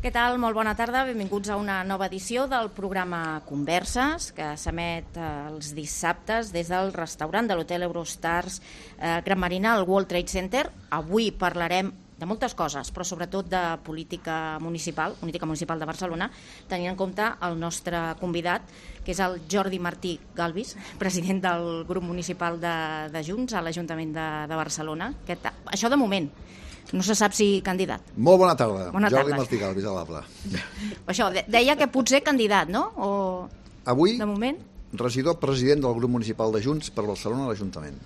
Què tal? Molt bona tarda. Benvinguts a una nova edició del programa Converses, que s'emet els dissabtes des del restaurant de l'Hotel Eurostars Gran Marina al World Trade Center. Avui parlarem de moltes coses, però sobretot de política municipal de Barcelona, tenint en compte el nostre convidat, que és el Jordi Martí Galvis, president del grup municipal de Junts a l'Ajuntament de Barcelona. Això de moment. No se sap si candidat. Molt bona tarda. Jordi Martí Galvis, a l'Abla. Això, deia que potser candidat, no? Avui, de moment, regidor president del grup municipal de Junts per Barcelona a l'Ajuntament.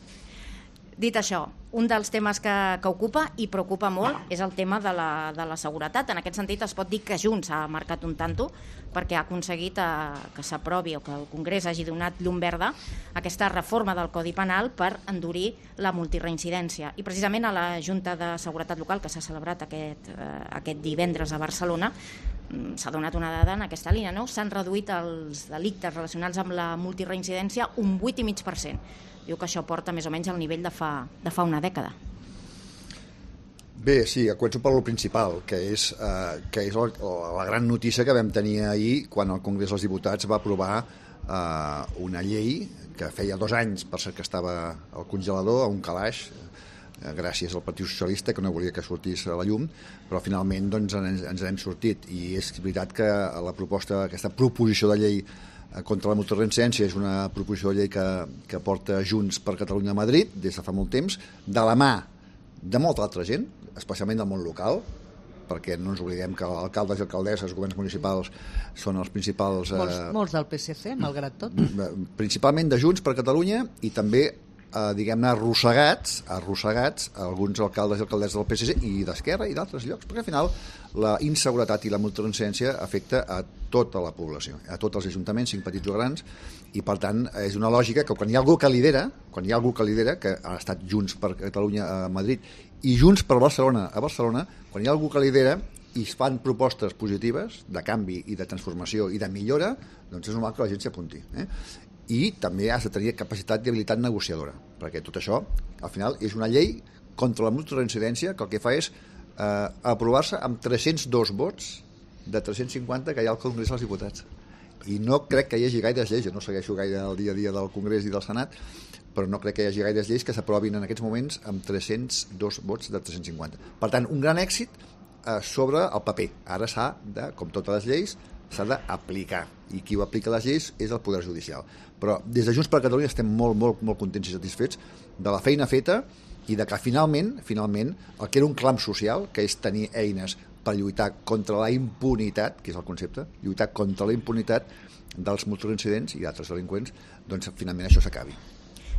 Dit això, un dels temes que ocupa i preocupa molt és el tema de la seguretat. En aquest sentit es pot dir que Junts ha marcat un tanto perquè ha aconseguit que s'aprovi o que el Congrés hagi donat llum verda a aquesta reforma del Codi Penal per endurir la multireincidència. I precisament a la Junta de Seguretat Local, que s'ha celebrat aquest divendres a Barcelona, s'ha donat una dada en aquesta línia, no? S'han reduït els delictes relacionats amb la multireincidència un 8,5%. Diu que això porta més o menys al nivell de fa una dècada. Bé, sí, començo per lo principal, que és la gran notícia que vam tenir ahir quan el Congrés dels Diputats va aprovar una llei que feia 2 anys, per cert, que estava al congelador, a un calaix, gràcies al Partit Socialista, que no volia que sortís a la llum, però finalment doncs, ens n'hem sortit. I és veritat que aquesta proposició de llei contra la multireincidència és una proposició de llei que porta Junts per Catalunya a Madrid des de fa molt temps, de la mà de molta altra gent, especialment del món local, perquè no ens oblidem que alcaldes i alcaldesses, governs municipals, són els principals... Molts del PSC, malgrat tot. Principalment de Junts per Catalunya i també diguem-ne arrossegats alguns alcaldes i alcaldesses del PSC i d'Esquerra i d'altres llocs, perquè al final la inseguretat i la multireincidència afecta a tota la població, a tots els ajuntaments, 5 petits o grans, i per tant és una lògica que quan hi ha algú que lidera, que ha estat Junts per Catalunya a Madrid i Junts per Barcelona a Barcelona, quan hi ha algú que lidera i es fan propostes positives de canvi i de transformació i de millora, doncs és normal que la gent s'hi apunti. I també has de tenir capacitat i habilitat negociadora, perquè tot això, al final, és una llei contra la multireincidència que el que fa és aprovar-se amb 302 vots de 350 que hi ha al Congrés dels Diputats. I no crec que hi hagi gaires lleis, jo no segueixo gaire el dia a dia del Congrés i del Senat, però no crec que hi hagi gaires lleis que s'aprovin en aquests moments amb 302 vots de 350. Per tant, un gran èxit sobre el paper. Ara s'ha de, com totes les lleis, s'ha d'aplicar, i qui ho aplica les lleis és el Poder Judicial. Però des de Junts per Catalunya estem molt, molt, molt contents i satisfets de la feina feta i de que finalment, el que era un clam social, que és tenir eines per lluitar contra la impunitat, que és el concepte, lluitar contra la impunitat dels multireincidents i d'altres delinqüents, doncs finalment això s'acabi.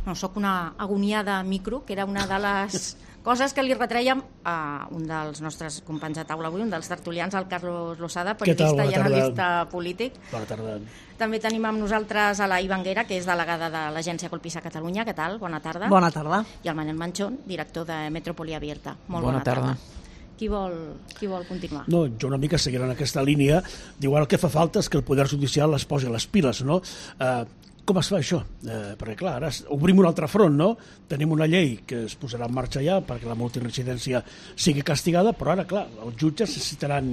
No, soc una agonia de micro, que era una de les coses que li retrèiem a un dels nostres companys de taula avui, un dels tertulians, el Carlos Losada, periodista i analista polític. Bona tarda. També tenim amb nosaltres a la Ivanguera, que és delegada de l'agència Colpisa Catalunya. Què tal? Bona tarda. Bona tarda. I el Manel Manchón, director de Metrópoli Abierta. Molt bona tarda. Qui vol continuar? No, jo una mica seguiré en aquesta línia. Diu, ara el que fa falta és que el Poder Judicial es posi les piles, no? Com es fa això? Perquè, clar, ara obrim un altre front, no? Tenim una llei que es posarà en marxa ja perquè la multireincidència sigui castigada, però ara, clar, els jutges necessitaran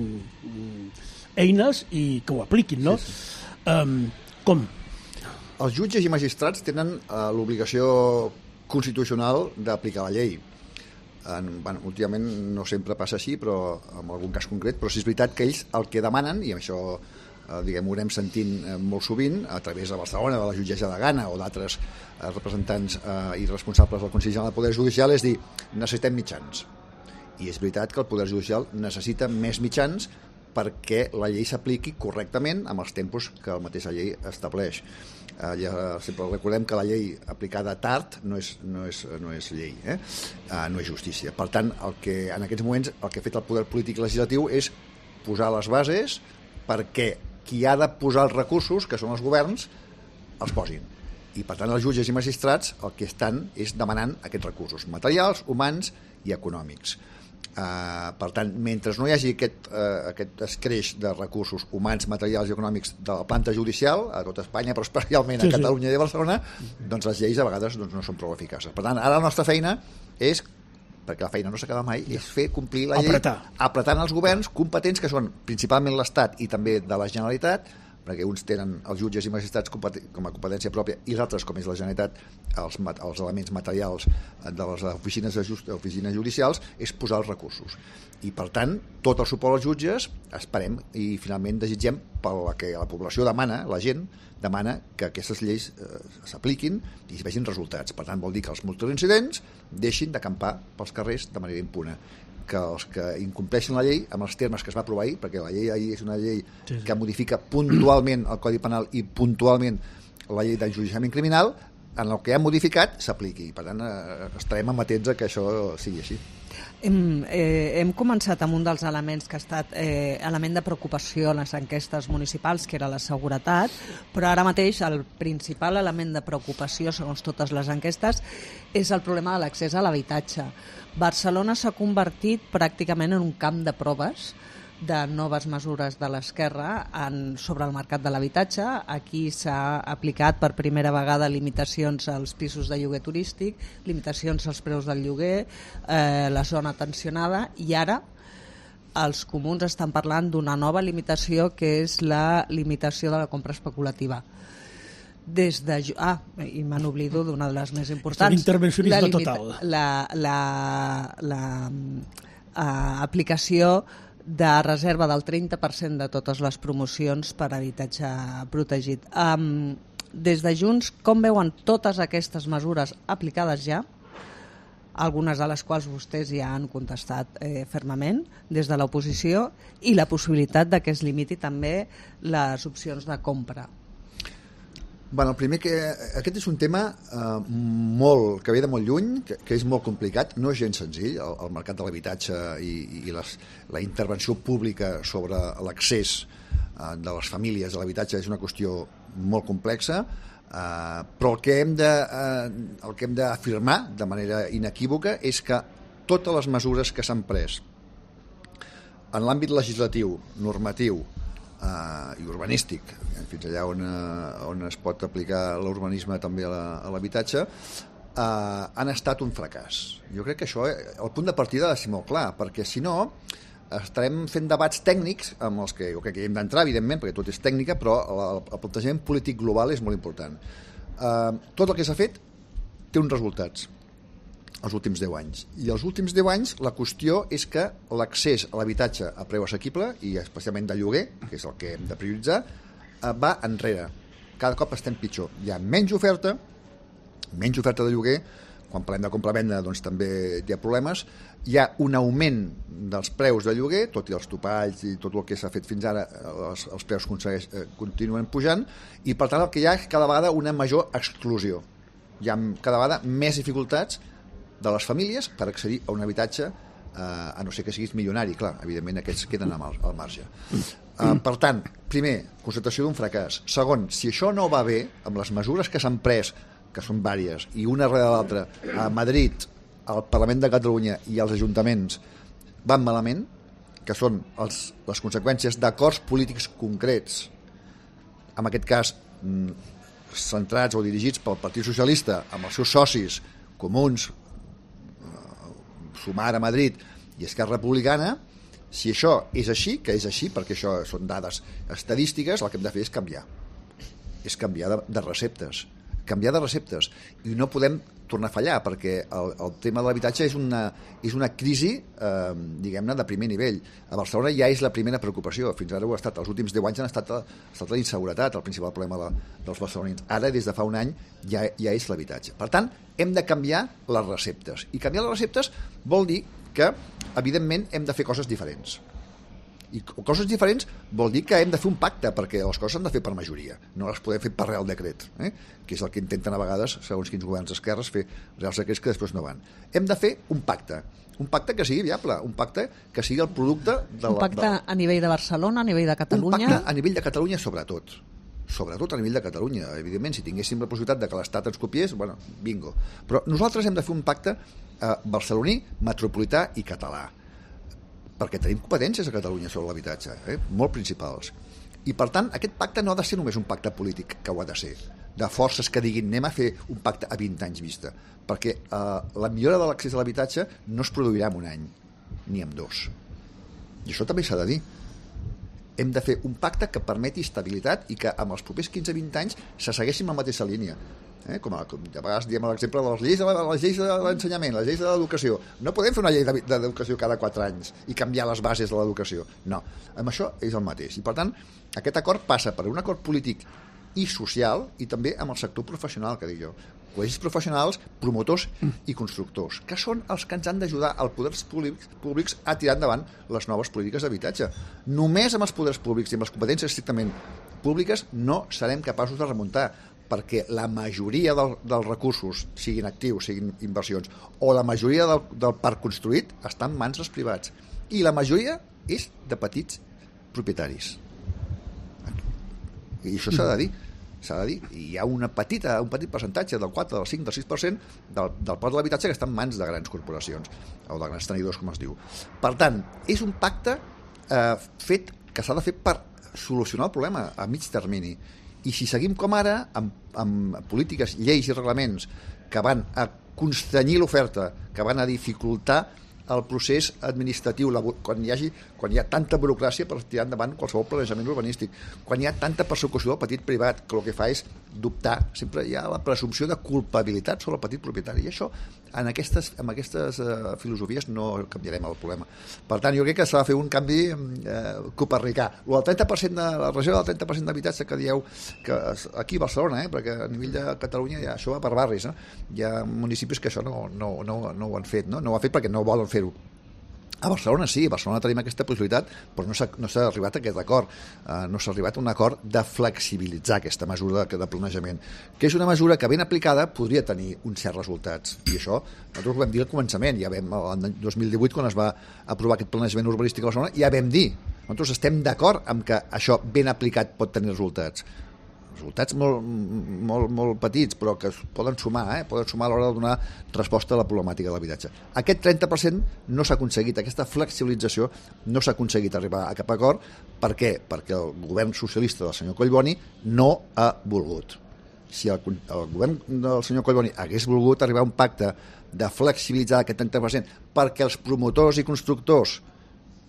eines i que ho apliquin, no? Com? Els jutges i magistrats tenen l'obligació constitucional d'aplicar la llei. Últimament no sempre passa així, però en algun cas concret, però sí és veritat que ells el que demanen, i això ho anem sentint molt sovint a través de Barcelona, de la jutgessa de Gana o d'altres representants i responsables del Consell General del Poder Judicial, és dir, necessitem mitjans. I és veritat que el Poder Judicial necessita més mitjans perquè la llei s'apliqui correctament amb els tempos que la mateixa llei estableix. Sempre recordem que la llei aplicada tard no és llei, no és justícia. Per tant, en aquests moments el que ha fet el poder polític legislatiu és posar les bases perquè qui ha de posar els recursos, que són els governs, els posin. I per tant els jutges i magistrats el que estan és demanant aquests recursos materials, humans i econòmics. Per tant, mentre no hi hagi aquest escreix de recursos humans, materials i econòmics de la planta judicial a tot Espanya, però especialment a Catalunya i a Barcelona, doncs les lleis a vegades no són prou eficaces. Per tant, ara la nostra feina és perquè la feina no s'acaba mai, és fer complir la llei apretant els governs competents, que són principalment l'Estat i també de la Generalitat, perquè uns tenen els jutges i magistrats com a competència pròpia i els altres, com és la Generalitat, els elements materials de les oficines judicials, és posar els recursos. I, per tant, tot el suport als jutges esperem i finalment desitgem pel que la població demana, la gent demana que aquestes lleis s'apliquin i es vegin resultats. Per tant, vol dir que els multireincidents deixin d'acampar pels carrers de manera impune, que els que incompleixen la llei amb els termes que es va aprovar ahir, perquè la llei ahir és una llei que modifica puntualment el Codi Penal i puntualment la llei d'enjudiciament criminal, en el que ha modificat s'apliqui. Per tant, estarem amatents a que això sigui així. Hem començat amb un dels elements que ha estat element de preocupació a les enquestes municipals, que era la seguretat, però ara mateix el principal element de preocupació, segons totes les enquestes, és el problema de l'accés a l'habitatge. Barcelona s'ha convertit pràcticament en un camp de proves de noves mesures de l'esquerra sobre el mercat de l'habitatge. Aquí s'ha aplicat per primera vegada limitacions als pisos de lloguer turístic, limitacions als preus del lloguer, la zona tensionada, i ara els comuns estan parlant d'una nova limitació, que és la limitació de la compra especulativa. I me n'oblido d'una de les més importants. Intervencionisme total. L'aplicació de reserva del 30% de totes les promocions per habitatge protegit. Des de Junts, com veuen totes aquestes mesures aplicades ja, algunes de les quals vostès ja han contestat fermament des de l'oposició, i la possibilitat de que es limiti també les opcions de compra? Bueno, el primer aquest és un tema que ve de molt lluny, que és molt complicat, no és gens senzill, el mercat de l'habitatge i la intervenció pública sobre l'accés de les famílies a l'habitatge és una qüestió molt complexa, però el que hem d'afirmar de manera inequívoca és que totes les mesures que s'han pres en l'àmbit legislatiu, normatiu i urbanístic, fins allà on es pot aplicar l'urbanisme també a l'habitatge, han estat un fracàs. Jo crec que això, el punt de partida ha de ser molt clar, perquè si no estarem fent debats tècnics amb els que jo crec que hi hem d'entrar, evidentment, perquè tot és tècnica, però el plantejament polític global és molt important. Tot el que s'ha fet té uns resultats els últims 10 anys. I els últims 10 anys la qüestió és que l'accés a l'habitatge a preu assequible, i especialment de lloguer, que és el que hem de prioritzar, va enrere. Cada cop estem pitjor. Hi ha menys oferta de lloguer. Quan parlem de compra-venda doncs també hi ha problemes. Hi ha un augment dels preus de lloguer, tot i els topalls i tot el que s'ha fet fins ara, els preus continuen pujant, i per tant el que hi ha és cada vegada una major exclusió. Hi ha cada vegada més dificultats de les famílies per accedir a un habitatge, a no ser que siguis milionari, clar, evidentment aquests queden al marge. Per tant, primer, constatació d'un fracàs. Segon, si això no va bé, amb les mesures que s'han pres, que són vàries, i una darrere l'altra, a Madrid, al Parlament de Catalunya i als ajuntaments van malament, que són les conseqüències d'acords polítics concrets, en aquest cas centrats o dirigits pel Partit Socialista, amb els seus socis comuns, Sumar a Madrid i Esquerra Republicana. Si això és així, que és així, perquè això són dades estadístiques, el que hem de fer és canviar. És canviar de receptes. Canviar de receptes. I no podem tornar a fallar, perquè el tema de l'habitatge és una crisi, diguem-ne, de primer nivell. A Barcelona ja és la primera preocupació. Fins ara ho ha estat. Els últims 10 anys ha estat la inseguretat, el principal problema dels barcelonins. Ara, des de fa un any, ja és l'habitatge. Per tant, hem de canviar les receptes. I canviar les receptes vol dir que, evidentment, hem de fer coses diferents. I coses diferents vol dir que hem de fer un pacte, perquè les coses s'han de fer per majoria, no les podem fer per Real Decret, que és el que intenten a vegades, segons quins governs d'esquerres, fer Reals Decrets que després no van. Hem de fer un pacte que sigui viable, un pacte que sigui el producte un pacte a nivell de Barcelona, a nivell de Catalunya? Un pacte a nivell de Catalunya sobretot a nivell de Catalunya. Evidentment, si tinguéssim la possibilitat de que l'Estat ens copiés, bueno, bingo. Però nosaltres hem de fer un pacte barceloní, metropolità i català, perquè tenim competències a Catalunya sobre l'habitatge, molt principals. I, per tant, aquest pacte no ha de ser només un pacte polític, que ho ha de ser. de forces que diguin anem a fer un pacte a 20 anys vista, perquè la millora de l'accés a l'habitatge no es produirà en un any ni en 2, i això també s'ha de dir. Hem de fer un pacte que permeti estabilitat i que amb els propers 15-20 anys se segueixi en la mateixa línia. Com a vegades diem l'exemple de les lleis de l'ensenyament, les lleis de l'educació. No podem fer una llei d'educació cada 4 anys i canviar les bases de l'educació. No, amb això és el mateix. I per tant, aquest acord passa per un acord polític i social i també amb el sector professional, que dic jo. Col·legis professionals, promotors i constructors, que són els que ens han d'ajudar als poders públics a tirar endavant les noves polítiques d'habitatge. Només amb els poders públics i amb les competències estrictament públiques no serem capaços de remuntar, perquè la majoria dels recursos, siguin actius, siguin inversions, o la majoria del parc construït està en mans dels privats. I la majoria és de petits propietaris. I això s'ha de dir. Hi ha un petit percentatge del 4, del 5, del 6% del parc de l'habitatge que està en mans de grans corporacions o de grans tenidors, com es diu. Per tant, és un pacte fet que s'ha de fer per solucionar el problema a mig termini. I si seguim com ara, amb polítiques, lleis i reglaments que van a constranyir l'oferta, que van a dificultar el procés administratiu, quan hi ha tanta burocràcia per tirar endavant qualsevol planejament urbanístic, quan hi ha tanta persecució del petit privat, que el que fa és dubtar, sempre hi ha la presumpció de culpabilitat sobre el petit propietari, i això amb aquestes filosofies no canviarem el problema. Per tant, jo crec que s'ha de fer un canvi copernicà. El 30% de la regió del 30% d'habitatge que dieu que aquí a Barcelona, perquè a nivell de Catalunya ja això va per barris, hi ha municipis que això no ho han fet, no ho han fet perquè no volen fer-ho. A Barcelona sí, a Barcelona tenim aquesta possibilitat, però no s'ha arribat a aquest acord. No s'ha arribat a un acord de flexibilitzar aquesta mesura de planejament, que és una mesura que ben aplicada podria tenir uns certs resultats. I això nosaltres ho vam dir al començament, ja vam, el 2018, quan es va aprovar aquest planejament urbanístic a Barcelona, ja vam dir, nosaltres estem d'acord amb que això ben aplicat pot tenir resultats molt petits, però que es poden sumar, poden sumar a l'hora de donar resposta a la problemàtica de l'habitatge. Aquest 30% no s'ha aconseguit, aquesta flexibilització no s'ha aconseguit arribar a cap acord. Per què? Perquè el govern socialista del senyor Collboni no ha volgut. Si el govern del senyor Collboni hagués volgut arribar a un pacte de flexibilitzar aquest 30% perquè els promotors i constructors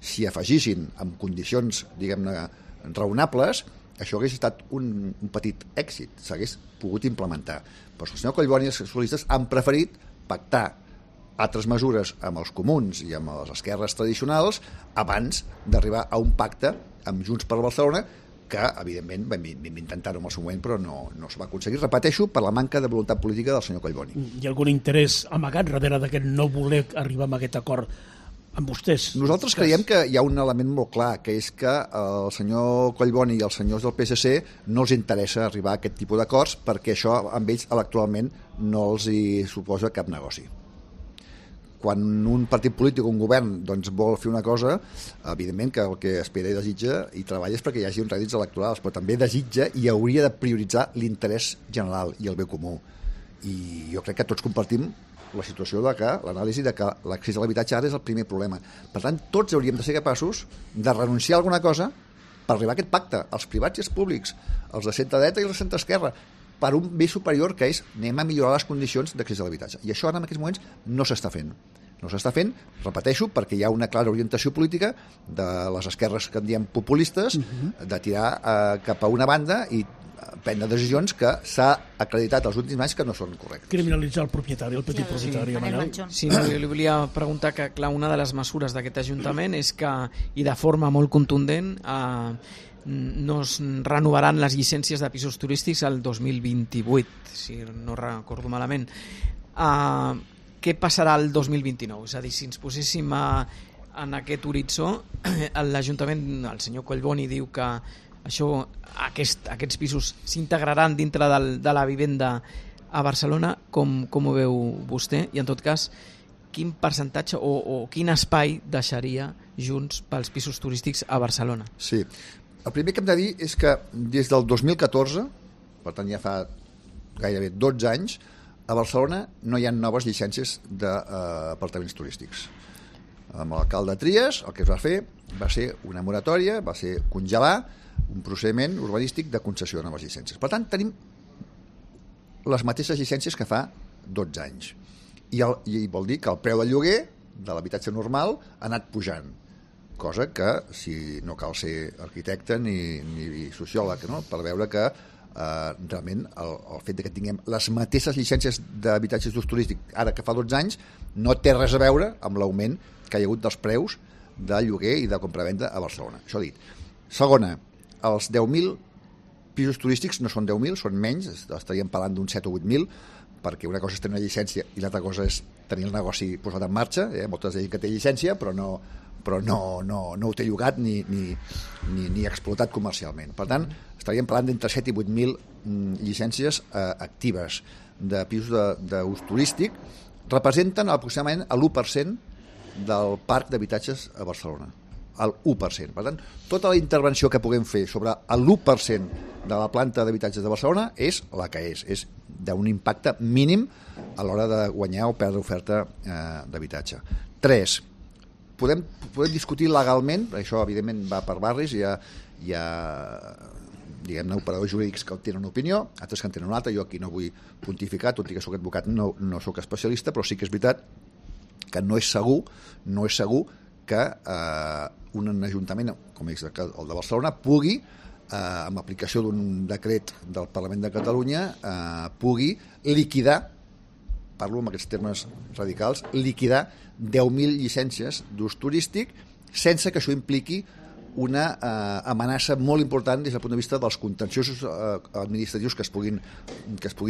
s'hi afegissin amb condicions, diguem-ne, raonables, això hagués estat un petit èxit, s'hagués pogut implementar. Però el senyor Collboni i els socialistes han preferit pactar altres mesures amb els comuns i amb les esquerres tradicionals abans d'arribar a un pacte amb Junts per Barcelona, que evidentment vam intentar-ho en el seu moment, però no s'ho va aconseguir, repeteixo, per la manca de voluntat política del senyor Collboni. Hi ha algun interès amagat darrere d'aquest no voler arribar a aquest acord amb vostès? Nosaltres creiem que hi ha un element molt clar, que és que el senyor Collboni i els senyors del PSC no els interessa arribar a aquest tipus d'acords, perquè això amb ells electoralment no els hi suposa cap negoci. Quan un partit polític o un govern vol fer una cosa, evidentment que el que espera i desitja i treballa és perquè hi hagi uns rèdits electorals, però també desitja i hauria de prioritzar l'interès general i el bé comú. I jo crec que tots compartim la situació de que, l'anàlisi de que l'accés a l'habitatge ara és el primer problema. Per tant, tots hauríem de ser capaços de renunciar a alguna cosa per arribar a aquest pacte, els privats i els públics, els de centre-dreta i els de centre-esquerra, per un bé superior, que és anem a millorar les condicions d'accés a l'habitatge. I això ara en aquests moments no s'està fent. No s'està fent, repeteixo, perquè hi ha una clara orientació política de les esquerres que en diem populistes, de tirar cap a una banda i prendre decisions que s'ha acreditat els últims anys que no són correctes. Criminalitzar el propietari, el petit propietari. Sí, li volia preguntar que, clar, una de les mesures d'aquest Ajuntament és que, i de forma molt contundent, no es renovaran les llicències de pisos turístics el 2028, si no recordo malament. Què passarà el 2029? És a dir, si ens poséssim en aquest horitzó, l'Ajuntament, el senyor Collboni diu que aquests pisos s'integraran dintre de la vivenda a Barcelona. Com ho veu vostè? I en tot cas, quin percentatge o quin espai deixaria Junts pels pisos turístics a Barcelona? Sí, el primer que hem de dir és que des del 2014, per tant ja fa gairebé 12 anys, a Barcelona no hi ha noves llicències d'apartaments turístics. Amb l'alcalde Trias el que es va fer va ser una moratòria, va ser congelar un procediment urbanístic de concessió de noves llicències. Per tant, tenim les mateixes llicències que fa 12 anys. I vol dir que el preu del lloguer de l'habitatge normal ha anat pujant, cosa que, si no cal ser arquitecte ni sociòleg, no? Per veure que realment el fet que tinguem les mateixes llicències d'habitatges d'ús turístic ara que fa 12 anys no té res a veure amb l'augment que hi ha hagut dels preus de lloguer i de compravenda a Barcelona. Això dit. Segona, els 10.000 pisos turístics no són 10.000, són menys, estaríem parlant d'un 7 o 8.000, perquè una cosa és tenir una llicència i l'altra cosa és tenir el negoci posat en marxa. Moltes gent que té llicència però no ho té llogat ni explotat comercialment. Per tant, estaríem parlant d'entre 7 i 8.000 llicències actives de pisos d'ús turístic. Representen aproximadament l'1% del parc d'habitatges a Barcelona. El 1%. Per tant, tota la intervenció que puguem fer sobre l'1% de la planta d'habitatges de Barcelona és la que és d'un impacte mínim a l'hora de guanyar o perdre oferta d'habitatge. 3. Podem discutir legalment, això evidentment va per barris, hi ha diguem-ne, operadors jurídics que tenen una opinió, altres que en tenen una altra. Jo aquí no vull pontificar, tot i que soc advocat, no soc especialista, però sí que és veritat que no és segur que un ajuntament, com és el de Barcelona, pugui, amb aplicació d'un decret del Parlament de Catalunya, pugui liquidar, parlo amb aquests termes radicals, liquidar 10.000 llicències d'ús turístic sense que això impliqui una amenaça molt important des del punt de vista dels contenciosos administratius que es puguin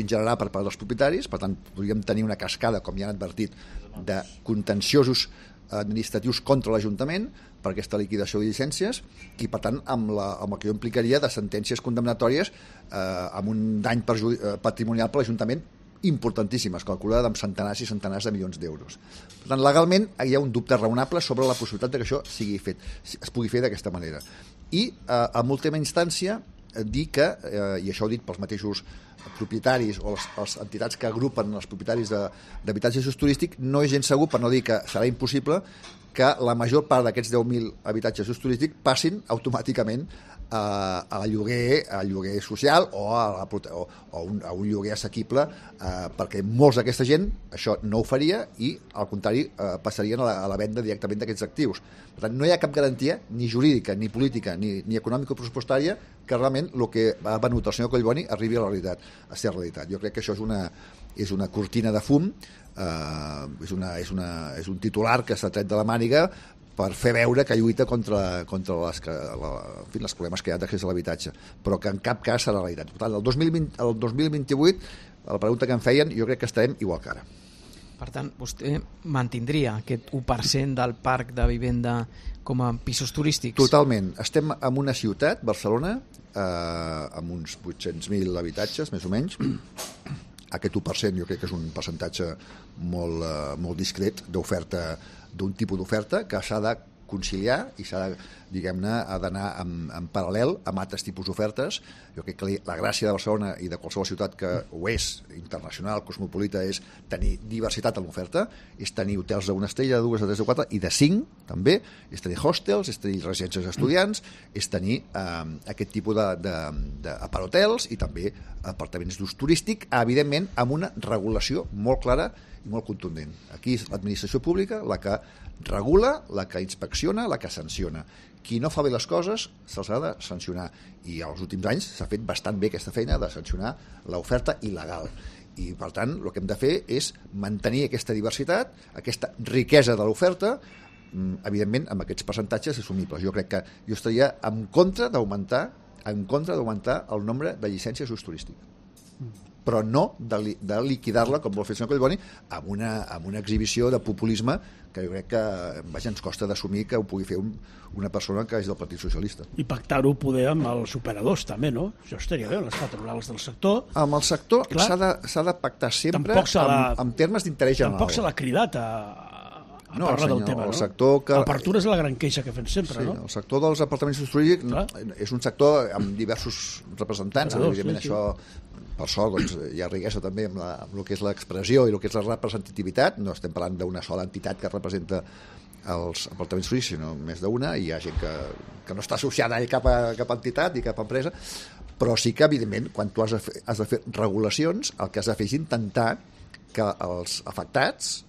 generar per part dels propietaris. Per tant, podríem tenir una cascada, com ja han advertit, de contenciosos administratius contra l'Ajuntament per aquesta liquidació de llicències i, per tant, amb el que jo implicaria de sentències condemnatòries amb un dany patrimonial per l'Ajuntament importantíssimes, calculada amb centenars i centenars de milions d'euros. Per tant, legalment hi ha un dubte raonable sobre la possibilitat que això es pugui fer d'aquesta manera. I, en última instància, dir que, i això ho he dit pels mateixos propietaris o les entitats que agrupen els propietaris d'habitatges d'ús turístic, no és gens segur, per no dir que serà impossible, que la major part d'aquests 10.000 habitatges d'ús turístic passin automàticament a lloguer social o a un lloguer assequible, perquè molts d'aquesta gent això no ho faria i, al contrari, passarien a la venda directament d'aquests actius. Per tant, no hi ha cap garantia, ni jurídica, ni política, ni econòmico-pressupostària, que realment el que ha venut el senyor Collboni arribi a la realitat, a ser realitat. Jo crec que això és una cortina de fum, és un titular que s'ha tret de la màniga per fer veure que lluita contra els problemes que hi ha d'accés a l'habitatge, però que en cap cas serà realitat. Per tant, el 2028, la pregunta que em feien, jo crec que estarem igual que ara. Per tant, vostè mantindria aquest 1% del parc de vivenda com a pisos turístics? Totalment. Estem en una ciutat, Barcelona, amb uns 800.000 habitatges, més o menys. Aquest 1% jo crec que és un percentatge molt discret d'oferta, d'un tipus d'oferta que s'ha de conciliar i s'ha de, diguem-ne, ha d'anar en paral·lel amb altres tipus d'ofertes. Jo crec que la gràcia de Barcelona i de qualsevol ciutat que ho és, internacional, cosmopolita, és tenir diversitat en l'oferta, és tenir hotels d'una estrella, de dues, de tres, de quatre, i de 5, també, és tenir hostels, és tenir residències d'estudiants, és tenir aquest tipus d'aparthotels i també apartaments d'ús turístic, evidentment, amb una regulació molt clara i molt contundent. Aquí és l'administració pública la que regula, la que inspecciona, la que sanciona. Qui no fa bé les coses se'ls ha de sancionar, i als últims anys s'ha fet bastant bé aquesta feina de sancionar l'oferta il·legal. I, per tant, el que hem de fer és mantenir aquesta diversitat, aquesta riquesa de l'oferta, evidentment amb aquests percentatges assumibles. Jo crec que jo estaria en contra d'augmentar el nombre de llicències d'ús turístic, però no de liquidar-la, com vol fer el senyor Collboni, amb una exhibició de populisme que jo crec que ens costa d'assumir que ho pugui fer una persona que és del Partit Socialista. I pactar-ho poder amb els operadors també, no? Això estaria bé, les patronals del sector. Amb el sector s'ha de pactar sempre en termes d'interès general. Tampoc se l'ha cridat a parlar del tema, no? L'apertura és la gran queixa que fem sempre, no? Sí, el sector dels apartaments turístics és un sector amb diversos representants, evidentment això, per sort, doncs, hi ha riquesa també amb el que és l'expressió i el que és la representativitat. No estem parlant d'una sola entitat que representa els apartaments turístics, sinó més d'una, i hi ha gent que no està associada a cap entitat ni cap empresa, Però sí que, evidentment, quan tu has de fer regulacions, el que has de fer és intentar que els afectats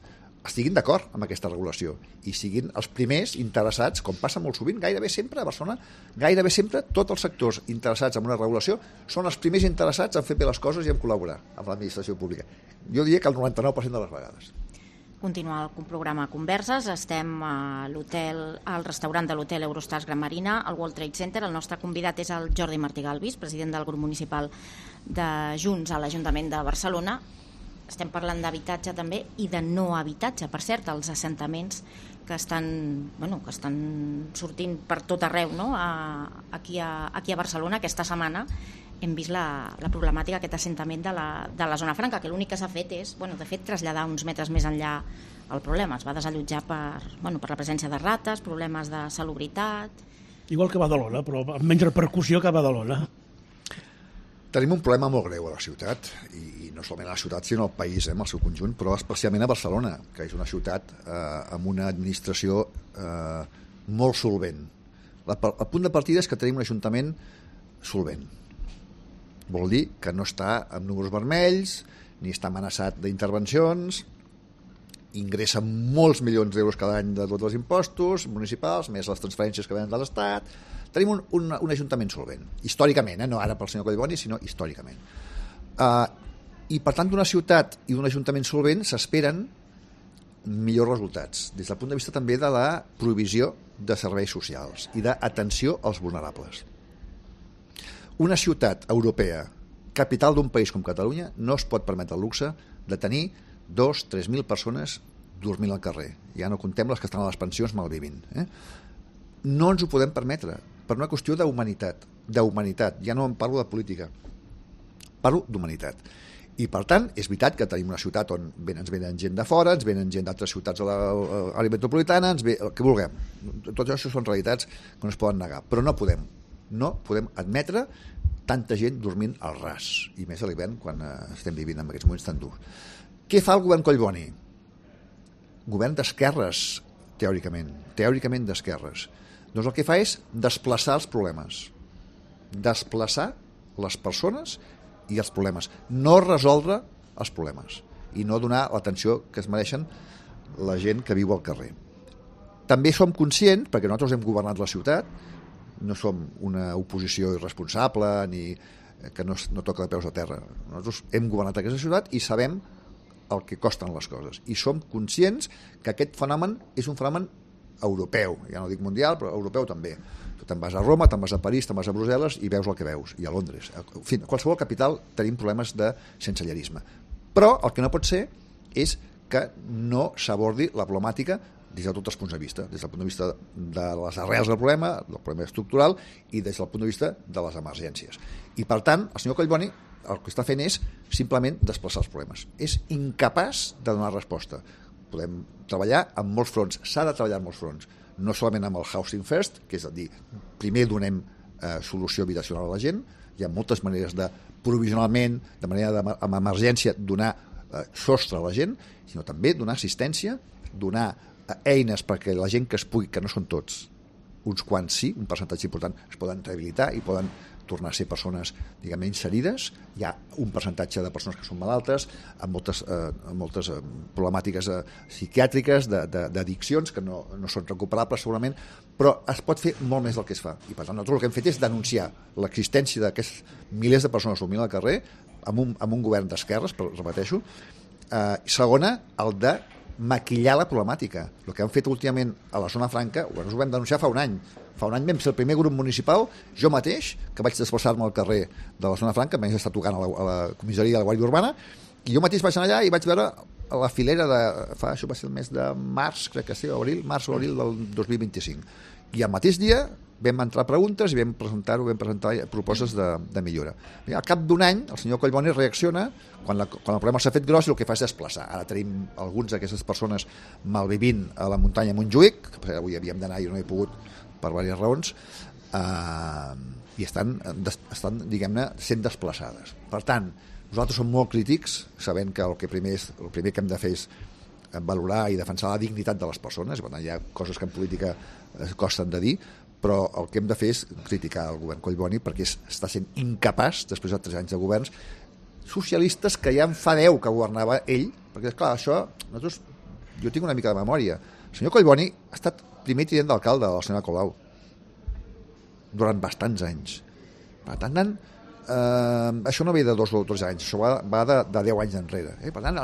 estiguin d'acord amb aquesta regulació i siguin els primers interessats, com passa molt sovint, gairebé sempre a Barcelona, gairebé sempre tots els sectors interessats en una regulació són els primers interessats en fer bé les coses i en col·laborar amb l'administració pública. Jo diria que el 99% de les vegades. Continua el programa Converses. Estem al restaurant de l'hotel Eurostars Gran Marina, al World Trade Center. El nostre convidat és el Jordi Martí Galvis, president del grup municipal de Junts a l'Ajuntament de Barcelona. Estem parlant d'habitatge també i de no habitatge. Per cert, els assentaments que estan sortint per tot arreu, no? Aquí a Barcelona aquesta setmana hem vist la problemàtica, aquest assentament de la zona franca, que l'únic que s'ha fet és, de fet, traslladar uns metres més enllà el problema. Es va desallotjar per la presència de rates, problemes de salubritat... Igual que Badalona, però amb menys repercussió que Badalona. Tenim un problema molt greu a la ciutat, i no solament a la ciutat, sinó al país, en el seu conjunt, però especialment a Barcelona, que és una ciutat amb una administració molt solvent. El punt de partida és que tenim un ajuntament solvent. Vol dir que no està amb números vermells, ni està amenaçat d'intervencions, ingressa molts milions d'euros cada any de tots els impostos municipals, més les transferències que venen de l'Estat. Tenim un ajuntament solvent, històricament, no ara pel senyor Collboni, sinó històricament. I per tant, d'una ciutat i d'un ajuntament solvent s'esperen millors resultats, des del punt de vista també de la provisió de serveis socials i d'atenció als vulnerables. Una ciutat europea, capital d'un país com Catalunya, no es pot permetre el luxe de tenir 2.000-3.000 persones dormint al carrer. Ja no contem les que estan a les pensions malvivint. No ens ho podem permetre, per una qüestió d'humanitat, ja no en parlo de política, parlo d'humanitat. I per tant, és veritat que tenim una ciutat on ens venen gent de fora, ens venen gent d'altres ciutats a l'àrea metropolitana, el que vulguem. Tot això són realitats que no es poden negar, però no podem admetre tanta gent dormint al ras, i més a l'hivern quan estem vivint en aquests moments tan durs. Què fa el govern Collboni? Govern d'esquerres, teòricament d'esquerres. Doncs el que fa és desplaçar els problemes, desplaçar les persones i els problemes, no resoldre els problemes i no donar l'atenció que es mereixen la gent que viu al carrer. També som conscients, perquè nosaltres hem governat la ciutat, no som una oposició irresponsable ni que no toca de peus a terra. Nosaltres hem governat aquesta ciutat i sabem el que costen les coses. I som conscients que aquest fenomen és un fenomen europeu, ja no dic mundial, però europeu també. Tu te'n vas a Roma, te'n vas a París, te'n vas a Brussel·les i veus el que veus, i a Londres. En fi, a qualsevol capital tenim problemes de sensellerisme. Però el que no pot ser és que no s'abordi la problemàtica des de tots els punts de vista, des del punt de vista de les arrels del problema estructural, i des del punt de vista de les emergències. I per tant, el senyor Collboni el que està fent és simplement desplaçar els problemes. És incapaç de donar resposta. Podem treballar en molts fronts, s'ha de treballar en molts fronts, no solament amb el Housing First, que és a dir, primer donem solució habitacional a la gent, hi ha moltes maneres de provisionalment, de manera amb emergència, donar sostre a la gent, sinó també donar assistència, donar eines perquè la gent que es pugui, que no són tots, uns quants sí, un percentatge important, es poden rehabilitar i poden tornar a ser persones, diguem-ne, inserides. Hi ha un percentatge de persones que són malaltes, amb moltes problemàtiques psiquiàtriques, d'addiccions, que no són recuperables segurament, però es pot fer molt més del que es fa. I per tant, nosaltres el que hem fet és denunciar l'existència d'aquests milers de persones dormint al carrer amb un govern d'esquerres, repeteixo. Segona, el de maquillar la problemàtica. El que han fet últimament a la zona franca, ho vam denunciar fa un any. Fa un any vam ser el primer grup municipal, jo mateix, que vaig desplaçar-me al carrer de la zona franca, vaig estar tocant a la comissaria de la Guàrdia Urbana, i jo mateix vaig anar allà i vaig veure a la filera això va ser el mes de març, crec que sí, març o abril del 2025. I al mateix dia vam entrar preguntes i vam presentar propostes de millora. Al cap d'un any, el senyor Collboni reacciona quan el problema s'ha fet gros i el que fa és desplaçar. Ara tenim alguns d'aquestes persones malvivint a la muntanya Montjuïc, que avui havíem d'anar i no he pogut per diverses raons, i estan diguem-ne, sent desplaçades. Per tant, nosaltres som molt crítics, sabent que el primer que hem de fer és valorar i defensar la dignitat de les persones. Hi ha coses que en política costen de dir, però el que hem de fer és criticar el govern Collboni perquè està sent incapaç, després de 3 anys de governs socialistes que ja en fa 10 que governava ell, perquè és clar, això jo tinc una mica de memòria. El senyor Collboni ha estat primer tinent d'alcalde de la senyora Colau durant bastants anys. Per tant, això no ve de 2 o 3 anys, això va de 10 anys enrere. Per tant,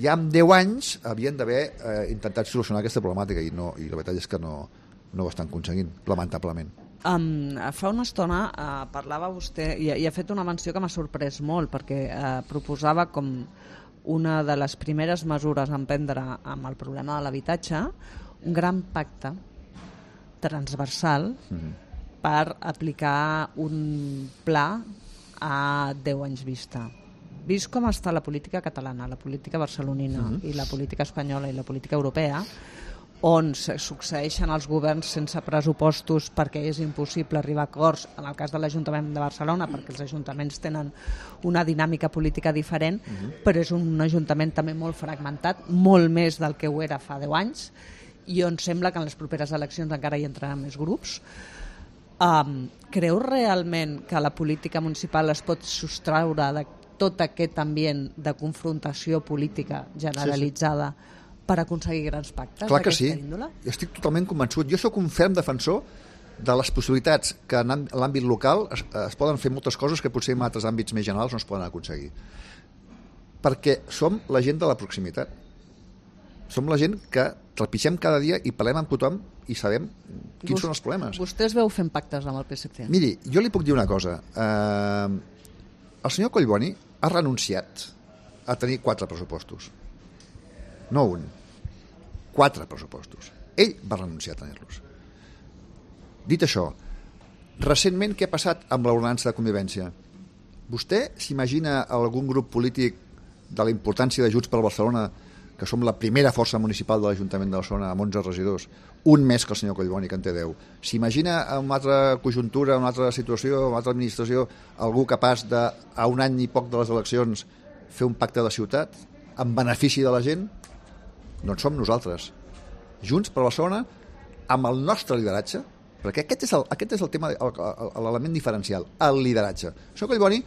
ja en 10 anys havien d'haver intentat solucionar aquesta problemàtica i la veritat és que no ho estan aconseguint, lamentablement. Fa una estona parlava vostè i ha fet una menció que m'ha sorprès molt perquè proposava com una de les primeres mesures a emprendre amb el problema de l'habitatge un gran pacte transversal per aplicar un pla a 10 anys vista. Vist com està la política catalana, la política barcelonina i la política espanyola i la política europea, on succeeixen els governs sense pressupostos perquè és impossible arribar a acords, en el cas de l'Ajuntament de Barcelona, perquè els ajuntaments tenen una dinàmica política diferent, però és un ajuntament també molt fragmentat, molt més del que ho era fa 10 anys, i on sembla que en les properes eleccions encara hi entraran més grups. Creu realment que la política municipal es pot sostraure de tot aquest ambient de confrontació política generalitzada per aconseguir grans pactes? Clar que sí, jo estic totalment convençut. Jo sóc un ferm defensor de les possibilitats que en l'àmbit local es poden fer moltes coses que potser en altres àmbits més generals no es poden aconseguir. Perquè som la gent de la proximitat. Som la gent que trepitgem cada dia i parlem amb tothom i sabem quins són els problemes. Vostè es veu fent pactes amb el PSC? Miri, jo li puc dir una cosa. El senyor Collboni ha renunciat a tenir 4 pressupostos. No un. 4 pressupostos. Ell va renunciar a tenir-los. Dit això, recentment què ha passat amb l'ordenança de convivència? Vostè s'imagina algun grup polític de la importància de Junts per Barcelona, que som la primera força municipal de l'Ajuntament de Barcelona amb 11 regidors, un més que el senyor Collboni, que en té 10. S'imagina en una altra conjuntura, en una altra situació, en una altra administració, algú capaç de, a un any i poc de les eleccions, fer un pacte de ciutat en benefici de la gent? Doncs som nosaltres. Junts per Barcelona, amb el nostre lideratge, perquè aquest és el tema, l'element diferencial, el lideratge. El senyor Collboni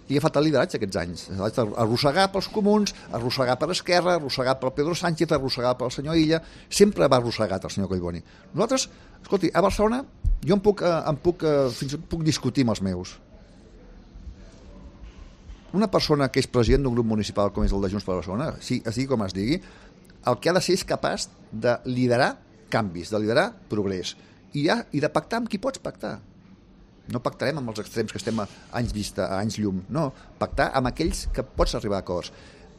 li ha faltat el lideratge aquests anys. Arrossegar pels comuns, arrossegar per Esquerra, arrossegar pel Pedro Sánchez, arrossegar pel senyor Illa, sempre va arrossegat el senyor Collboni. Nosaltres, escolti, a Barcelona jo fins i tot puc discutir amb els meus. Una persona que és president d'un grup municipal com és el de Junts per Barcelona, sí, es digui com es digui, el que ha de ser és capaç de liderar canvis, de liderar progrés i de pactar amb qui pots pactar. No pactarem amb els extrems que estem a anys vista, a anys llum. No, pactar amb aquells que pots arribar a acords.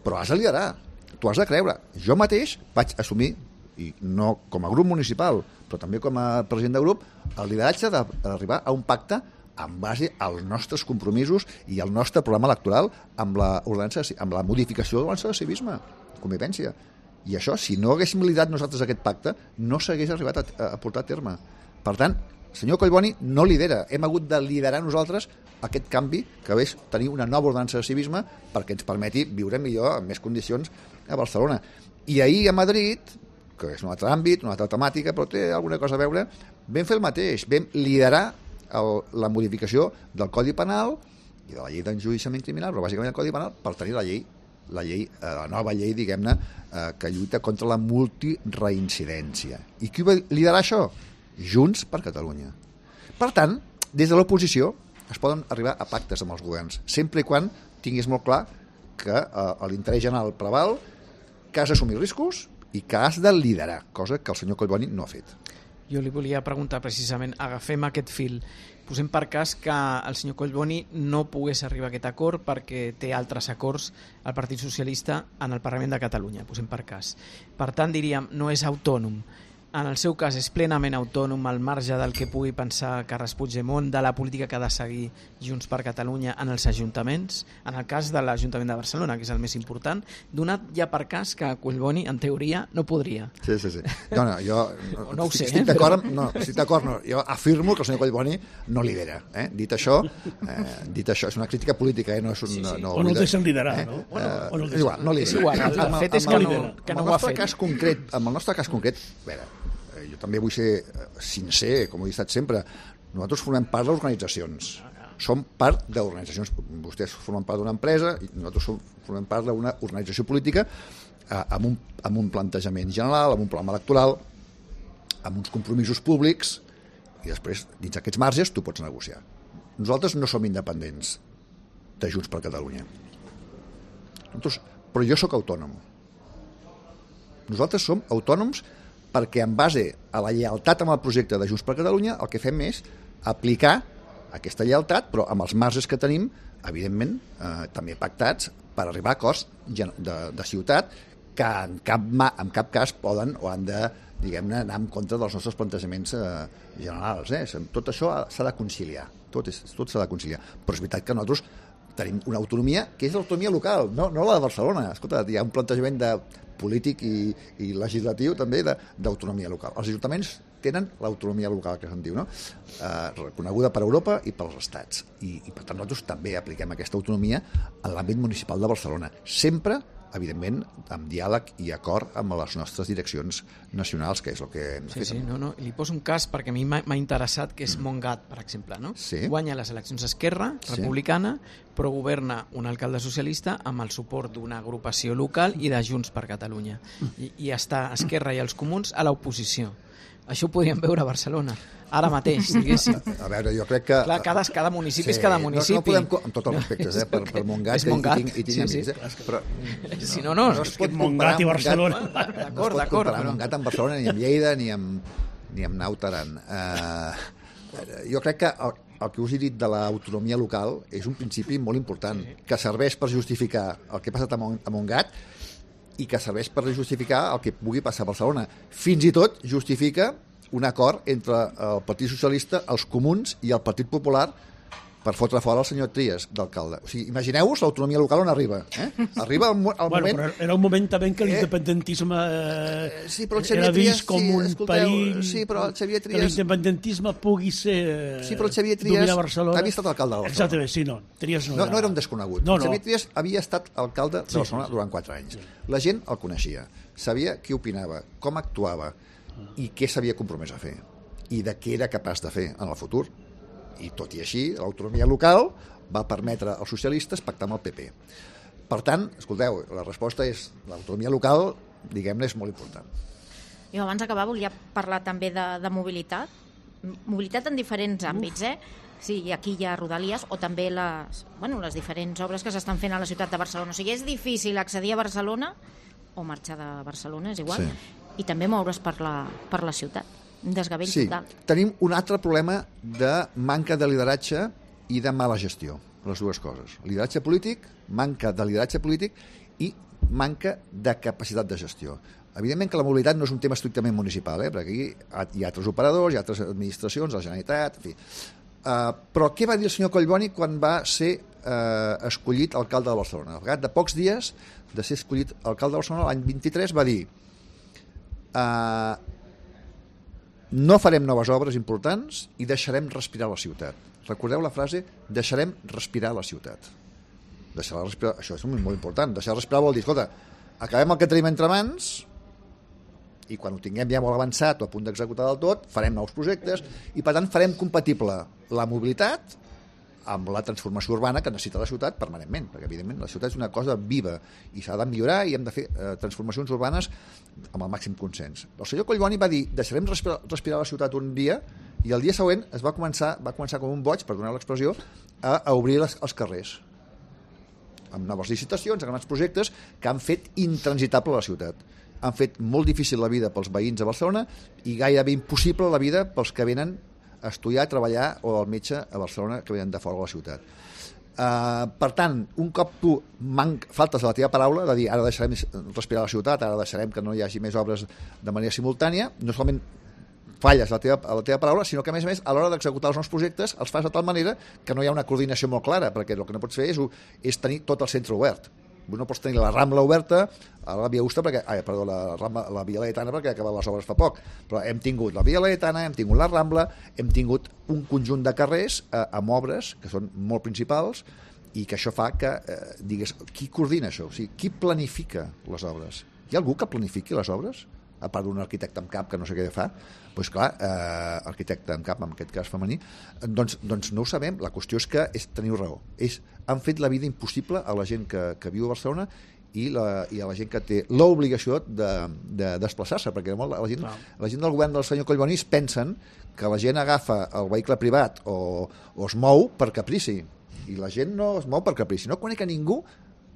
Però has de liderar, tu has de creure. Jo mateix vaig assumir, i no com a grup municipal, però també com a president de grup, el lideratge d'arribar a un pacte en base als nostres compromisos i al nostre programa electoral amb la modificació de l'ordenança de civisme, convivència. I això, si no haguéssim liderat nosaltres aquest pacte, no s'hagués arribat a portar a terme. Per tant, el senyor Collboni no lidera. Hem hagut de liderar nosaltres aquest canvi que és tenir una nova ordenança de civisme perquè ens permeti viure millor, en més condicions, a Barcelona. I ahir a Madrid, que és un altre àmbit, una altra temàtica, però té alguna cosa a veure, vam fer el mateix. Vam liderar la modificació del Codi Penal i de la llei d'enjudiciament criminal, però bàsicament el Codi Penal, per tenir la nova llei, diguem-ne, que lluita contra la multireincidència. I qui va liderar això? Junts per Catalunya. Per tant, des de l'oposició es poden arribar a pactes amb els governs, sempre i quan tinguis molt clar que l'interès general preval, que has d'assumir riscos i que has de liderar, cosa que el senyor Collboni no ha fet. Jo li volia preguntar precisament, agafem aquest fil, posem per cas que el senyor Collboni no pogués arribar a aquest acord perquè té altres acords al Partit Socialista en el Parlament de Catalunya, posem per cas. Per tant, diríem, no és autònom. En el seu cas és plenament autònom al marge del que pugui pensar Carles Puigdemont, de la política que ha de seguir Junts per Catalunya en els ajuntaments, en el cas de l'Ajuntament de Barcelona, que és el més important, donat ja per cas que Collboni, en teoria, no podria. Sí. Jo no ho sé, estic d'acord, jo afirmo que el senyor Collboni no lidera. Dit això, és una crítica política, no és un... O no el deixen liderar, no? És igual, no lidera. El fet és que no ho ha fet. Amb el nostre cas concret, a veure, jo també vull ser sincer, com he estat sempre, nosaltres formem part d'organitzacions. Som part d'organitzacions. Vostès formen part d'una empresa i nosaltres formem part d'una organització política amb un plantejament general, amb un programa electoral, amb uns compromisos públics, i després, dins aquests marges, tu pots negociar. Nosaltres no som independents de Junts per Catalunya. Però jo sóc autònom. Nosaltres som autònoms perquè en base a la lleialtat amb el projecte de Junts per Catalunya el que fem és aplicar aquesta lleialtat, però amb els marges que tenim, evidentment, també pactats per arribar a acords de ciutat que en cap cas poden o han de, diguem-ne, anar en contra dels nostres plantejaments generals. Tot això s'ha de conciliar, tot s'ha de conciliar. Però és veritat que nosaltres tenim una autonomia que és l'autonomia local, no la de Barcelona. Escolta, hi ha un plantejament polític i legislatiu també d'autonomia local. Els ajuntaments tenen l'autonomia local, que se'n diu, no? Reconeguda per Europa i pels estats. I per tant nosaltres també apliquem aquesta autonomia en l'àmbit municipal de Barcelona. Sempre, evidentment, amb diàleg i acord amb les nostres direccions nacionals, que és el que hem fet. Sí, no. Li poso un cas perquè a mi m'ha interessat, que és Montgat, per exemple, no? Sí. Guanya les eleccions Esquerra Republicana, però governa un alcalde socialista amb el suport d'una agrupació local i de Junts per Catalunya. I està Esquerra i els Comuns a l'oposició. Això ho podríem veure a Barcelona, ara mateix, diguéssim. A veure, jo crec que... Clar, cada municipi és cada municipi. No podem, amb tots els respectes, per Montgat, i tinc amics, però... Si no, no. Es pot Montgat i Barcelona. D'acord, no es pot comparar Montgat amb Barcelona, ni amb Lleida, ni amb Naut Aran. Jo crec que el que us he dit de l'autonomia local és un principi molt important, que serveix per justificar el que ha passat a Montgat i que serveix per justificar el que pugui passar a Barcelona. Fins i tot justifica un acord entre el Partit Socialista, els Comuns i el Partit Popular per fotre fora el senyor Trias d'alcalde. O sigui, imagineu-vos l'autonomia local on arriba. Arriba al moment... Però era un moment també en què l'independentisme sí, però el Xavier era vist Trias, com un perill, sí, però el Xavier Trias... que l'independentisme pugui ser sí, però el Xavier Trias dominar Barcelona. havia estat alcalde de Barcelona. Exactament, sí, no. Trias no era un desconegut. No. El Xavier Trias havia estat alcalde de Barcelona durant 4 anys. La gent el coneixia, sabia què opinava, com actuava i què s'havia compromès a fer i de què era capaç de fer en el futur. I tot i així, l'autonomia local va permetre als socialistes pactar amb el PP. Per tant, escolteu, la resposta és l'autonomia local, diguem-ne, és molt important. Jo abans d'acabar volia parlar també de mobilitat. Mobilitat en diferents àmbits, Sí, aquí hi ha Rodalies o també les diferents obres que s'estan fent a la ciutat de Barcelona. O sigui, és difícil accedir a Barcelona o marxar de Barcelona, és igual, i també moure's per la ciutat. Un desgavell total. Tenim un altre problema de manca de lideratge i de mala gestió, les dues coses. Lideratge polític, manca de lideratge polític i manca de capacitat de gestió. Evidentment que la mobilitat no és un tema estrictament municipal, perquè aquí hi ha altres operadors, hi ha altres administracions, la Generalitat, en fi. Però què va dir el senyor Collboni quan va ser escollit alcalde de Barcelona? Al cap de pocs dies de ser escollit alcalde de Barcelona, l'any 23 va dir no farem noves obres importants i deixarem respirar la ciutat. Recordeu la frase, deixarem respirar la ciutat. Deixar respirar, això és molt important. Deixar respirar vol dir, escolta, acabem el que tenim entre mans i quan ho tinguem ja molt avançat o a punt d'executar del tot, farem nous projectes i per tant farem compatible la mobilitat amb la transformació urbana que necessita la ciutat permanentment, perquè evidentment la ciutat és una cosa viva i s'ha de millorar i hem de fer transformacions urbanes amb el màxim consens. El senyor Collboni va dir, deixarem respirar la ciutat un dia i el dia següent va començar com un boig, per donar l'expressió, a obrir els carrers amb noves licitacions, amb grans projectes que han fet intransitable la ciutat. Han fet molt difícil la vida pels veïns de Barcelona i gairebé impossible la vida pels que venen a estudiar, a treballar o al metge a Barcelona que venen de fora de la ciutat. Per tant, un cop tu faltes a la teva paraula de dir ara deixarem respirar la ciutat, ara deixarem que no hi hagi més obres de manera simultània, no solament falles a la teva paraula, sinó que a més a l'hora d'executar els nous projectes els fas de tal manera que no hi ha una coordinació molt clara, perquè el que no pots fer és tenir tot el centre obert. No pots tenir la Rambla oberta a la Via Augusta, la Via Laietana, perquè ha acabat les obres fa poc, però hem tingut la Via Laietana, hem tingut la Rambla, hem tingut un conjunt de carrers amb obres que són molt principals i que això fa que, digues, qui coordina això? O sigui, qui planifica les obres? Hi ha algú que planifiqui les obres? a part d'un arquitecte amb cap que no sé què fa, doncs clar, arquitecte amb cap, en aquest cas femení, doncs no ho sabem. La qüestió és que teniu raó. Han fet la vida impossible a la gent que viu a Barcelona i a la gent que té l'obligació de desplaçar-se, perquè la gent del govern del senyor Collboni pensen que la gent agafa el vehicle privat o es mou per caprici, i la gent no es mou per caprici. No conec a ningú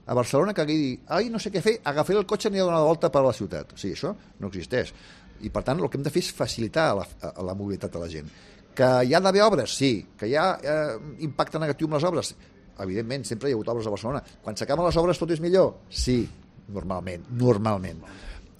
a Barcelona que hagi dit, ai, no sé què fer, agafaré el cotxe i aniré a donar una volta per la ciutat. Sí, això no existeix. I per tant el que hem de fer és facilitar la mobilitat de la gent. Que hi ha d'haver obres? Sí. Que hi ha impacte negatiu amb les obres? Evidentment, sempre hi ha hagut obres a Barcelona. Quan s'acaben les obres tot és millor? Sí, normalment.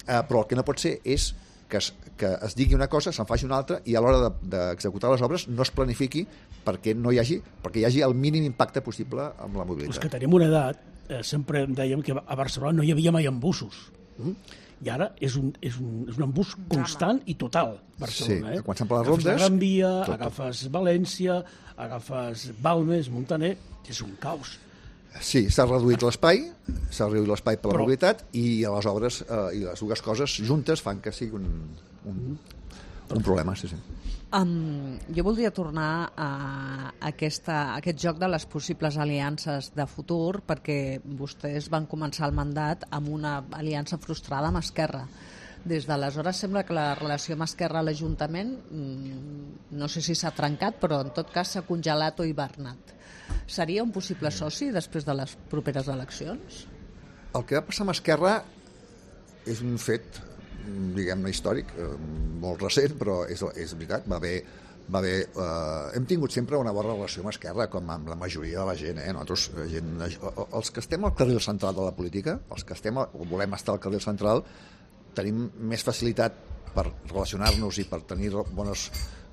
Però el que no pot ser és que es digui una cosa, se'n faci una altra, i a l'hora d'executar les obres no es planifiqui perquè hi hagi el mínim impacte possible amb la mobilitat. És que tenim una edat, sempre dèiem que a Barcelona no hi havia mai embussos. I ara és un embús constant i total, Barcelona. Sí, quan s'han per les rondes... Agafes la Gran Via, agafes València, agafes Balmes, Montaner... És un caos. Sí, s'ha reduït l'espai per la mobilitat, i a les obres i les dues coses juntes fan que sigui un problema, sí. Jo voldria tornar a aquest joc de les possibles aliances de futur, perquè vostès van començar el mandat amb una aliança frustrada amb Esquerra. Des d'aleshores sembla que la relació amb Esquerra a l'Ajuntament, no sé si s'ha trencat, però en tot cas s'ha congelat o hibernat. Seria un possible soci després de les properes eleccions? El que va passar amb Esquerra és un fet, diguem-ne, històric, molt recent, però és veritat, hem tingut sempre una bona relació amb Esquerra, com amb la majoria de la gent. Nosaltres, els que estem al carril central de la política, els que volem estar al carril central, tenim més facilitat per relacionar-nos i per tenir bones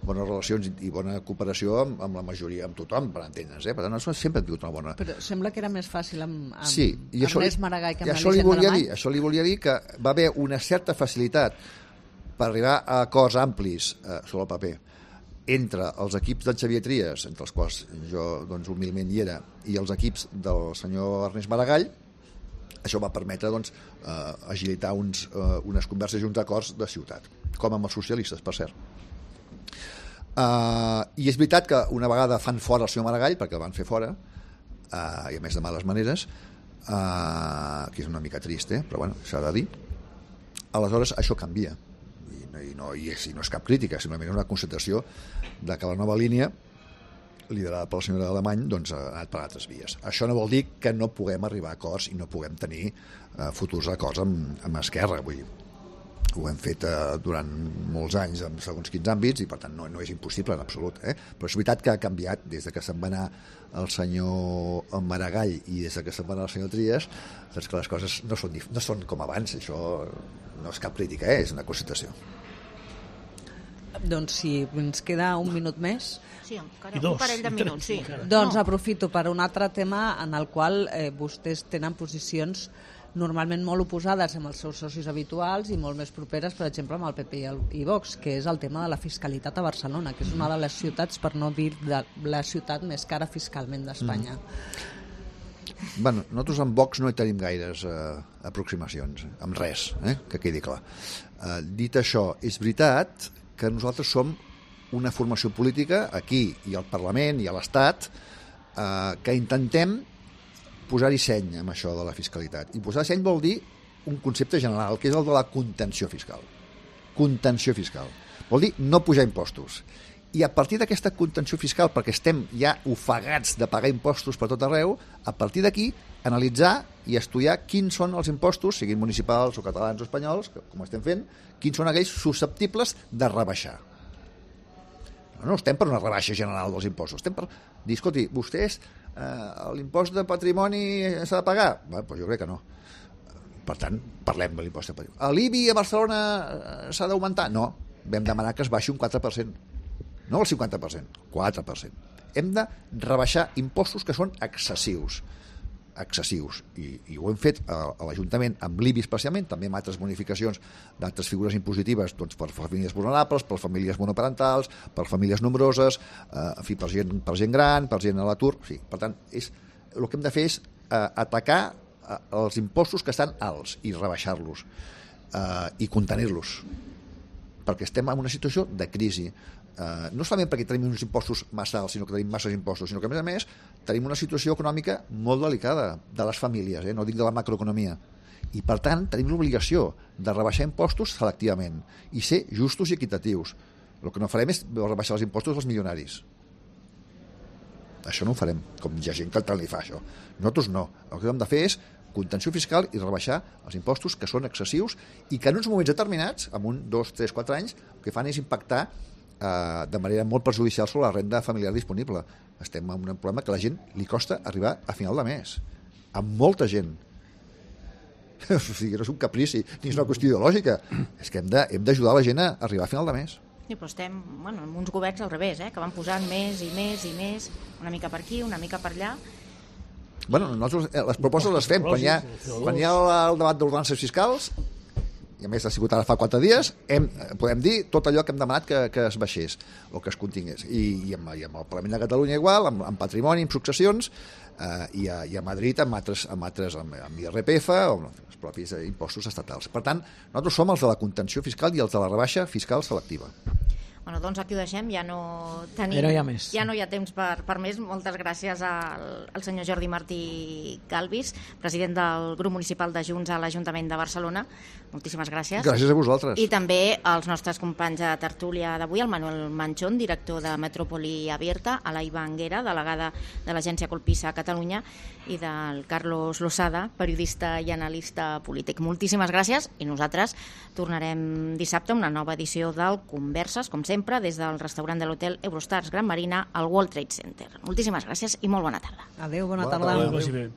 relacions i bona cooperació amb la majoria, amb tothom, per entendre'ns. Per tant, nosaltres sempre hem tingut una bona... Però sembla que era més fàcil amb Ernest Maragall que amb l'Elisenda Alemany. Això li volia dir que va haver una certa facilitat per arribar a acords amplis sobre el paper entre els equips del Xavier Trias, entre els quals jo humilment hi era, i els equips del senyor Ernest Maragall. Això va permetre agilitar unes converses i uns acords de ciutat, com amb els socialistes, per cert. I és veritat que una vegada fan fora el senyor Maragall, perquè el van fer fora, i a més de males maneres, que és una mica trist, però bueno, s'ha de dir. Aleshores això canvia, i no és cap crítica, simplement és una constatació de que la nova línia liderada per la senyora Alemany ha anat per altres vies. Això no vol dir que no puguem arribar a acords i no puguem tenir futurs acords amb Esquerra. Vull dir, ho hem fet durant molts anys en segons quins àmbits i per tant no és impossible en absolut, però és veritat que ha canviat des que se'n va anar el senyor Maragall i des que se'n va anar el senyor Trias, doncs que les coses no són com abans. Això no és cap crítica, és una constatació. Doncs si ens queda un minut més... Sí, encara un parell de minuts, sí. Doncs aprofito per un altre tema en el qual vostès tenen posicions normalment molt oposades amb els seus socis habituals i molt més properes, per exemple, amb el PP i Vox, que és el tema de la fiscalitat a Barcelona, que és una de les ciutats, per no dir de la ciutat més cara fiscalment d'Espanya. Bueno, nosaltres amb Vox no hi tenim gaires aproximacions, amb res, que quedi clar. Dit això, és veritat que nosaltres som una formació política aquí i al Parlament i a l'Estat que intentem posar-hi seny amb això de la fiscalitat. I posar seny vol dir un concepte general, que és el de la contenció fiscal. Contenció fiscal. Vol dir no pujar impostos. I a partir d'aquesta contenció fiscal, perquè estem ja ofegats de pagar impostos per tot arreu, a partir d'aquí analitzar i estudiar quins són els impostos, siguin municipals o catalans o espanyols, com estem fent, quins són aquells susceptibles de rebaixar. No estem per una rebaixa general dels impostos, estem per dir, escolti, vostès l'impost de patrimoni s'ha de pagar? Doncs jo crec que no. Per tant, parlem de l'impost de patrimoni. L'IBI a Barcelona s'ha d'augmentar? No, vam demanar que es baixi un 4%. No el 50%, 4%. Hem de rebaixar impostos que són excessius. I ho hem fet a l'Ajuntament amb l'IBI especialment, també amb altres bonificacions d'altres figures impositives, doncs per famílies vulnerables, per famílies monoparentals, per famílies nombroses, en fi, per gent gran, per gent a l'atur. Sí, per tant, el que hem de fer és atacar els impostos que estan alts i rebaixar-los. i contenir-los, perquè estem en una situació de crisi. No solament perquè tenim uns impostos massa alts, sinó que tenim masses impostos, sinó que a més tenim una situació econòmica molt delicada de les famílies, no dic de la macroeconomia, i per tant tenim l'obligació de rebaixar impostos selectivament i ser justos i equitatius. El que no farem és rebaixar els impostos als milionaris. Això no ho farem, com hi ha gent que tant li fa això. Nosaltres no. El que hem de fer és contenció fiscal i rebaixar els impostos que són excessius i que en uns moments determinats, en 1, 2, 3, 4 anys, el que fan és impactar de manera molt perjudicial sobre la renda familiar disponible. Estem en un problema que a la gent li costa arribar a final de mes. A molta gent. O sigui, no és un caprici, ni és una qüestió ideològica. És que hem d'ajudar la gent a arribar a final de mes. Sí, però estem amb uns governs al revés, que van posant més i més i més, una mica per aquí, una mica per allà. Bueno, nosaltres les propostes les fem. Quan hi ha el debat d'ordenances fiscals, i a més ha sigut ara fa 4 dies, podem dir tot allò que hem demanat que es baixés o que es contingués. I amb el Parlament de Catalunya igual, amb patrimoni, amb successions, i a Madrid amb IRPF o els propis impostos estatals. Per tant, nosaltres som els de la contenció fiscal i els de la rebaixa fiscal selectiva. Bueno, doncs aquí ho deixem, ja no hi ha temps per més. Moltes gràcies al senyor Jordi Martí Galvis, president del grup municipal de Junts a l'Ajuntament de Barcelona. Moltíssimes gràcies. Gràcies a vosaltres. I també als nostres companys de tertúlia d'avui, el Manuel Manchón, director de Metrópoli Abierta, a la Iva Anguera, delegada de l'agència Colpisa a Catalunya, i del Carlos Losada, periodista i analista polític. Moltíssimes gràcies i nosaltres tornarem dissabte a una nova edició del Converses, com sempre, des del restaurant de l'hotel Eurostars Gran Marina al World Trade Center. Moltíssimes gràcies i molt bona tarda. Adéu, bona tarda. Adéu.